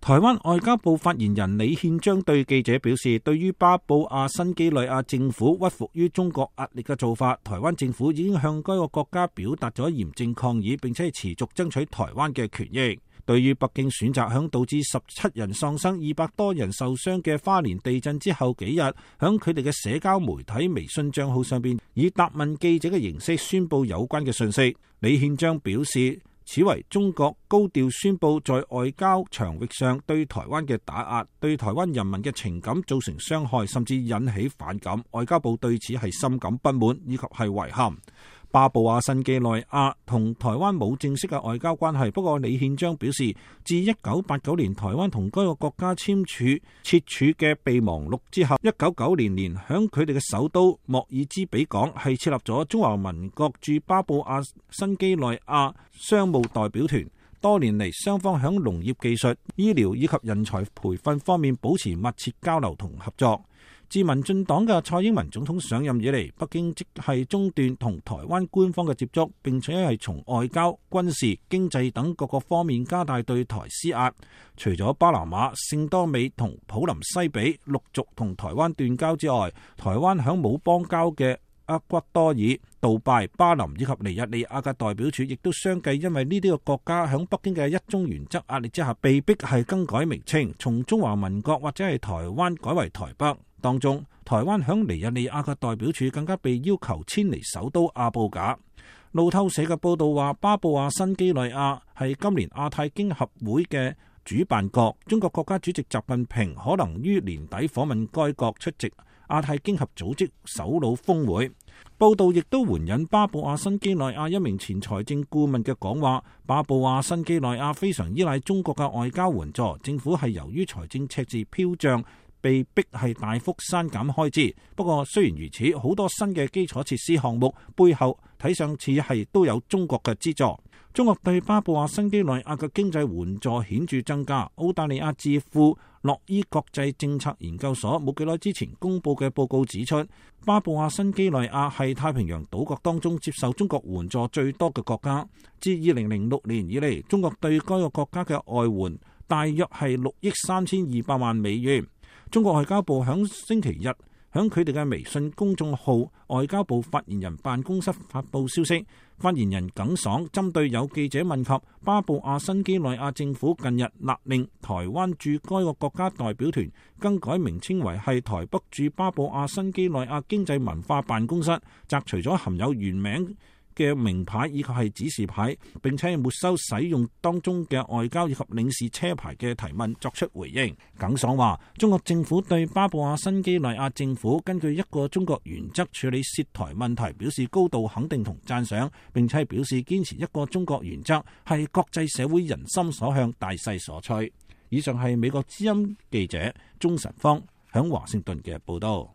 台灣外交部發言人李憲章對記者表示，對於巴布亞新幾內亞政府屈服於中國壓力嘅做法，台灣政府已經向該個國家表達咗嚴正抗議，並且持續爭取台灣嘅權益。對於北京選擇響導致17人喪生、200多人受傷嘅花蓮地震之後幾日，響佢哋嘅社交媒體微信賬號上邊以答問記者嘅形式宣布有關嘅信息。李憲章表示，此為中國高調宣布在外交場域上對台灣嘅打壓，對台灣人民嘅情感造成傷害，甚至引起反感。外交部對此係深感不滿以及係遺憾。巴布亞新幾內亞同台灣冇正式嘅外交關係，不過李憲章表示，自1989年台灣同該個國家簽署設處嘅備忘錄之後，1990年響佢哋嘅首都莫爾茲比港係設立咗中華民國駐巴布亞新幾內亞商務代表團。多年嚟，雙方響農業技術、醫療以及人才培訓方面保持密切交流同合作。自民進黨嘅蔡英文總統上任以嚟，北京即係中斷同台灣官方嘅接觸，並且係從外交、軍事、經濟等各個方面加大對台施壓。除咗巴拿馬、聖多美同普林西比陸續同台灣斷交之外，台灣響冇邦交嘅厄瓜多爾、杜拜、巴林以及尼日利亞嘅代表處，亦都相繼因為呢啲個國家響北京嘅一中原則壓力之下，被逼係更改名稱，從中華民國或者係台灣改為台北。當中，台灣響尼日利亞嘅代表處更加被要求遷離首都阿布賈。路透社嘅報道話，巴布亞新幾內亞係今年亞太經合會嘅主辦國，中國國家主席習近平可能於年底訪問該國出席亞太經合組織首腦峰會。報道亦都援引巴布亞新幾內亞一名前財政顧問嘅講話，巴布亞新幾內亞非常依賴中國嘅外交援助，政府係由於財政赤字飄漲，被逼係大幅刪減開支。不過雖然如此，好多新嘅基礎設施項目背後睇上似係都有中國嘅資助。中國對巴布亞新幾內亞嘅經濟援助顯著增加。澳大利亞智庫諾伊國際政策研究所冇幾耐之前公佈嘅報告指出，巴布亞新幾內亞係太平洋島國當中接受中國援助最多嘅國家。自2006年以嚟，中國對該個國家嘅外援大約係6億3200萬美元。中國外交部響星期日響佢哋嘅微信公眾號外交部發言人辦公室發布消息，發言人耿爽針對有記者問及巴布亞新幾內亞政府近日勒令台灣駐該個國家代表團更改名稱為係台北駐巴布亞新幾內亞經濟文化辦公室，摘除咗含有原名嘅名牌以及係指示牌，並且沒收使用當中嘅外交以及領事車牌嘅提問作出回應。耿爽話，中國政府對巴布亞新幾內亞政府根據一個中國原則處理涉台問題表示高度肯定同讚賞，並且表示堅持一個中國原則係國際社會人心所向、大勢所趨。以上係美國之音記者鍾晨芳響華盛頓嘅報道。